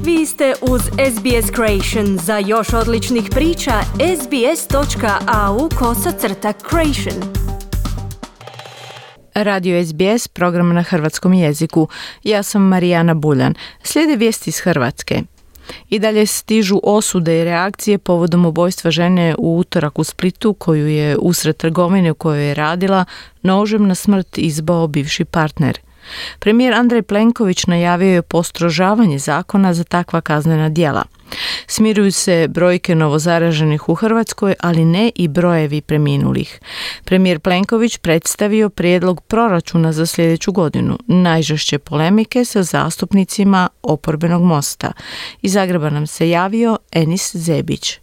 Vi ste uz SBS Creation. Za još odličnih priča, sbs.au/creation. Radio SBS, program na hrvatskom jeziku. Ja sam Marijana Buljan. Slijede vijesti iz Hrvatske. I dalje stižu osude i reakcije povodom ubojstva žene u utorak u Splitu, koju je usred trgovine u kojoj je radila nožem na smrt izbao bivši partner. Premijer Andrej Plenković najavio je postrožavanje zakona za takva kaznena djela. Smiruju se brojke novozaraženih u Hrvatskoj, ali ne i brojevi preminulih. Premijer Plenković predstavio prijedlog proračuna za sljedeću godinu. Najžešće polemike sa zastupnicima oporbenog Mosta. Iz Zagreba nam se javio Enis Zebić.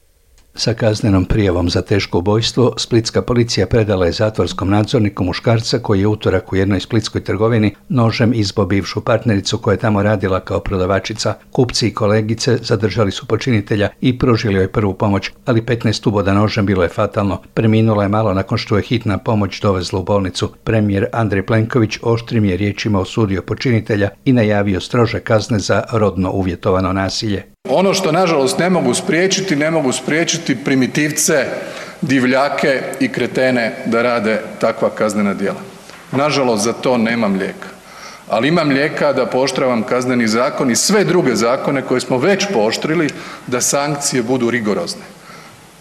Sa kaznenom prijavom za teško ubojstvo, splitska policija predala je zatvorskom nadzorniku muškarca koji je utorak u jednoj splitskoj trgovini nožem izbio bivšu partnericu koja je tamo radila kao prodavačica. Kupci i kolegice zadržali su počinitelja i pružili joj prvu pomoć, ali 15 uboda nožem bilo je fatalno. Preminula je malo nakon što je hitna pomoć dovezla u bolnicu. Premijer Andrej Plenković oštrim je riječima osudio počinitelja i najavio strože kazne za rodno uvjetovano nasilje. Ono što nažalost ne mogu spriječiti primitivce, divljake i kretene da rade takva kaznena djela. Nažalost za to nemam lijeka, ali imam lijeka da pooštravam Kazneni zakon i sve druge zakone koje smo već pooštrili da sankcije budu rigorozne,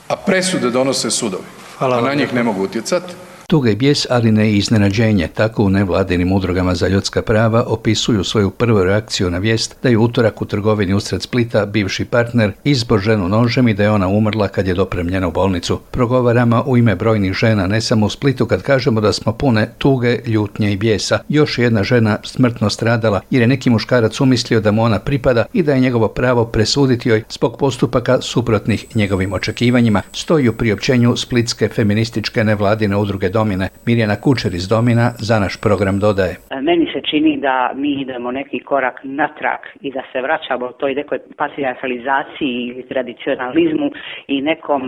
a presude donose sudovi, a na njih ne mogu utjecati. Tuga i bijes, ali ne i iznenađenje. Tako u nevladinim udrugama za ljudska prava opisuju svoju prvu reakciju na vijest da je utorak u trgovini usred Splita bivši partner izbo ženu nožem i da je ona umrla kad je dopremljena u bolnicu. Progovaramo u ime brojnih žena, ne samo u Splitu, kad kažemo da smo pune tuge, ljutnje i bijesa. Još jedna žena smrtno stradala jer je neki muškarac umislio da mu ona pripada i da je njegovo pravo presuditi joj zbog postupaka suprotnih njegovim očekivanjima, stoji u priopćenju splitske feminističke nevladine udruge Domine. Mirjana Kučer iz Domina za naš program dodaje. Meni se čini da mi idemo neki korak natrag i da se vraćamo toj nekoj patrijarhalizaciji ili tradicionalizmu i nekom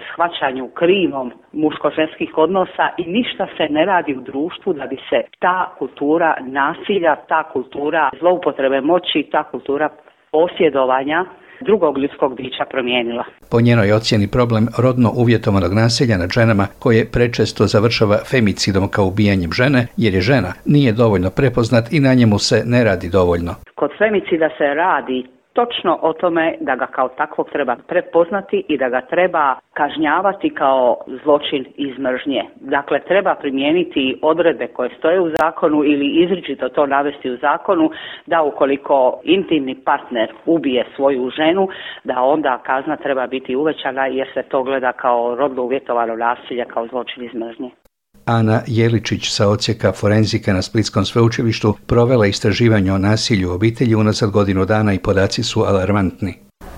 shvaćanju krivom muško-ženskih odnosa i ništa se ne radi u društvu da bi se ta kultura nasilja, ta kultura zloupotrebe moći, ta kultura posjedovanja drugog ljudskog bića promijenila. Po njenoj ocjeni problem rodno uvjetovanog nasilja nad ženama, koje prečesto završava femicidom kao ubijanjem žene, jer je žena, nije dovoljno prepoznat i na njemu se ne radi dovoljno. Kod femicida se radi točno o tome da ga kao takvog treba prepoznati i da ga treba kažnjavati kao zločin iz mržnje. Dakle, treba primijeniti odredbe koje stoje u zakonu ili izričito to navesti u zakonu da ukoliko intimni partner ubije svoju ženu, da onda kazna treba biti uvećana jer se to gleda kao rodno uvjetovano nasilje, kao zločin iz mržnje. Ana Jeličić sa odsjeka forenzike na Splitskom sveučilištu provela istraživanje o nasilju u obitelji unazad godinu dana i podaci su alarmantni.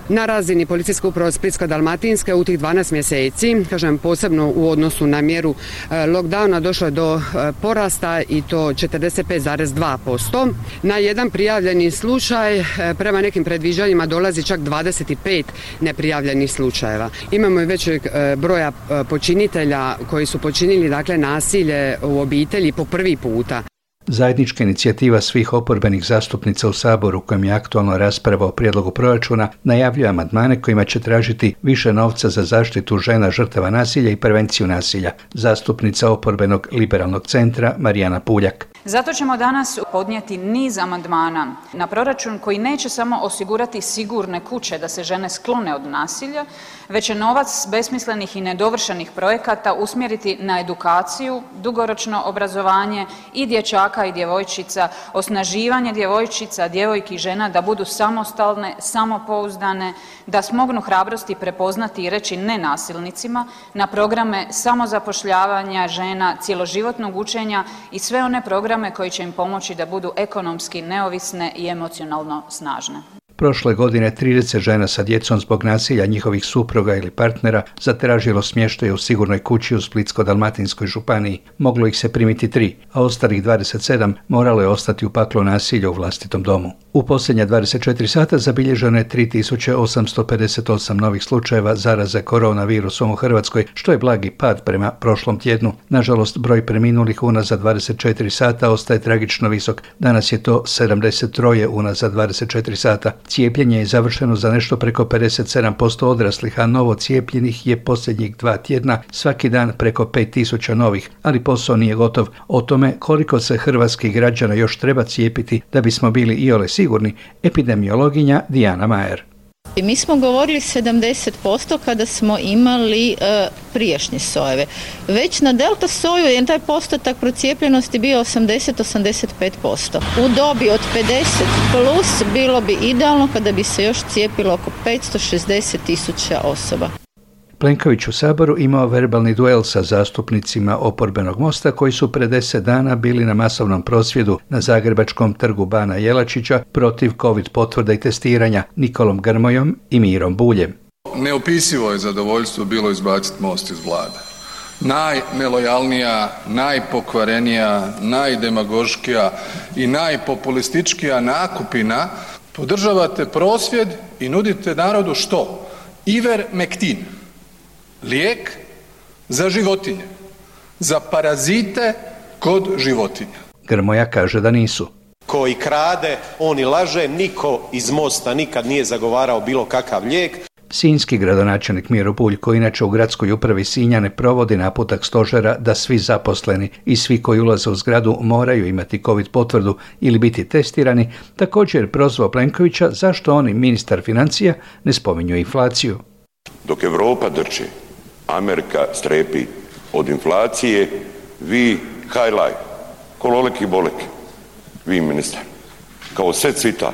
Na razini policijske uprave Splitsko-dalmatinske u tih 12 mjeseci, kažem posebno u odnosu na mjeru lockdowna, došlo je do porasta i to 45,2%. Na jedan prijavljeni slučaj prema nekim predviđanjima dolazi čak 25 neprijavljenih slučajeva. Imamo i većeg broja počinitelja koji su počinili dakle nasilje u obitelji po prvi puta. Zajednička inicijativa svih oporbenih zastupnica u Saboru, kojem je aktualno rasprava o prijedlogu proračuna, najavljuje amandmane kojima će tražiti više novca za zaštitu žena žrtava nasilja i prevenciju nasilja. Zastupnica oporbenog liberalnog centra Marijana Puljak. Zato ćemo danas podnijeti niz amandmana na proračun koji neće samo osigurati sigurne kuće da se žene sklone od nasilja, već će novac besmislenih i nedovršenih projekata usmjeriti na edukaciju, dugoročno obrazovanje i dječaka i djevojčica, osnaživanje djevojčica, djevojki i žena da budu samostalne, samopouzdane, da smognu hrabrosti prepoznati i reći ne nasilnicima, na programe samozapošljavanja žena, cjeloživotnog učenja i sve one programe koji će im pomoći da budu ekonomski neovisne i emocionalno snažne. Prošle godine 30 žena sa djecom zbog nasilja njihovih supruga ili partnera zatražilo smještaj u sigurnoj kući u Splitsko-dalmatinskoj županiji. Moglo ih se primiti 3, a ostalih 27 moralo je ostati u paklu nasilja u vlastitom domu. U posljednja 24 sata zabilježeno je 3858 novih slučajeva zaraze koronavirusom u Hrvatskoj, što je blagi pad prema prošlom tjednu. Nažalost, broj preminulih unazad 24 sata ostaje tragično visok. Danas je to 73 unazad 24 sata. Cijepljenje je završeno za nešto preko 57% odraslih, a novo cijepljenih je posljednjih 2 tjedna svaki dan preko 5000 novih, ali posao nije gotov. O tome koliko se hrvatskih građana još treba cijepiti da bismo bili iole sigurni, epidemiologinja Dijana Majer. I mi smo govorili 70% kada smo imali prijašnje sojeve. Već na delta soju je taj postotak procijepljenosti bio 80-85%. U dobi od 50 plus bilo bi idealno kada bi se još cijepilo oko 560.000 osoba. Plenković u Saboru imao verbalni duel sa zastupnicima oporbenog Mosta koji su pred 10 dana bili na masovnom prosvjedu na zagrebačkom trgu Bana Jelačića protiv COVID potvrda i testiranja Nikolom Grmojom i Mirom Buljem. Neopisivo je zadovoljstvo bilo izbaciti Most iz vlade. Najnelojalnija, najpokvarenija, najdemagoškija i najpopulističkija nakupina podržavate prosvjed i nudite narodu što? Ivermektin. Lijek za životinje, za parazite kod životinja. Grmoja kaže da nisu. Koji krade, on i laže, niko iz Mosta nikad nije zagovarao bilo kakav lijek. Sinjski gradonačelnik Miro Bulj, koji inače u gradskoj upravi Sinja ne provodi naputak stožera da svi zaposleni i svi koji ulaze u zgradu moraju imati COVID potvrdu ili biti testirani, također prozvao Plenkovića zašto on i ministar financija ne spominju inflaciju. Dok Europa drče, Amerika strepi od inflacije, vi hajlaj, kololeki boleki, vi ministar, kao sve cvita.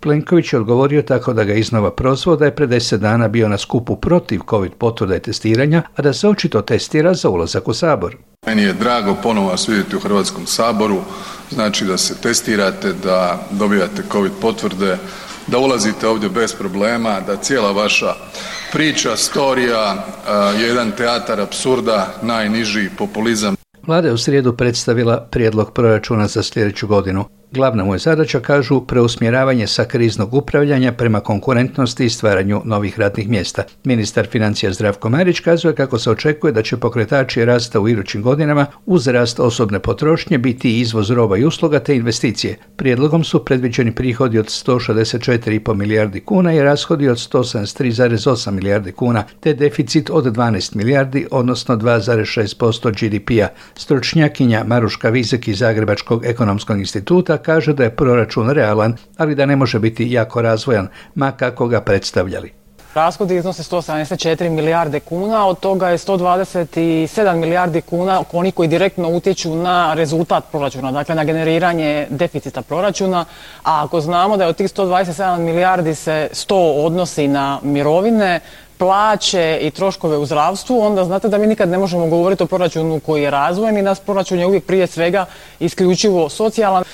Plenković je odgovorio tako da ga iznova prozvao da je pred 10 dana bio na skupu protiv COVID potvrda i testiranja, a da se očito testira za ulazak u Sabor. Meni je drago ponovo vas vidjeti u Hrvatskom saboru, znači da se testirate, da dobijate COVID potvrde, da ulazite ovdje bez problema, da cijela vaša priča, storija je jedan teatar apsurda, najniži populizam. Vlada je u srijedu predstavila prijedlog proračuna za sljedeću godinu. Glavna mu je zadaća, kažu, preusmjeravanje sa kriznog upravljanja prema konkurentnosti i stvaranju novih radnih mjesta. Ministar financija Zdravko Marić kazuje kako se očekuje da će pokretači rasta u idućim godinama uz rast osobne potrošnje biti izvoz roba i usluga te investicije. Prijedlogom su predviđeni prihodi od 164,5 milijardi kuna i rashodi od 173,8 milijardi kuna, te deficit od 12 milijardi, odnosno 2,6% GDP-a. Stručnjakinja Maruška Vizek iz Zagrebačkog ekonomskog instituta kaže da je proračun realan, ali da ne može biti jako razvojan, ma kako ga predstavljali. Rashodi iznose 174 milijarde kuna, od toga je 127 milijardi kuna oni koji direktno utječu na rezultat proračuna, dakle na generiranje deficita proračuna, a ako znamo da je od tih 127 milijardi se 100 odnosi na mirovine, plaće i troškove u zdravstvu, onda znate da mi nikad ne možemo govoriti o proračunu koji je razvojen i naš proračun je uvijek prije svega isključivo socijalan.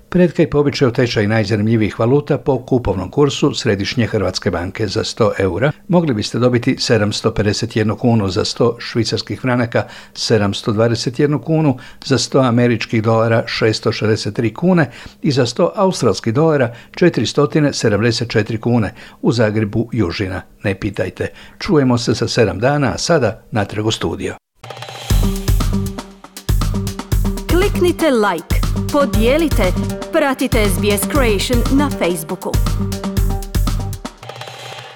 Pred po običaju tečaj najzanimljivijih valuta po kupovnom kursu Središnje Hrvatske banke. Za 100 eura mogli biste dobiti 751 kunu, za 100 švicarskih franaka 721 kunu, za 100 američkih dolara 663 kune i za 100 australskih dolara 474 kune. U Zagrebu južina. Ne pitajte. Čujemo se za 7 dana, a sada natrag u studio. Kliknite like, podijelite, pratite SBS Creation na Facebooku.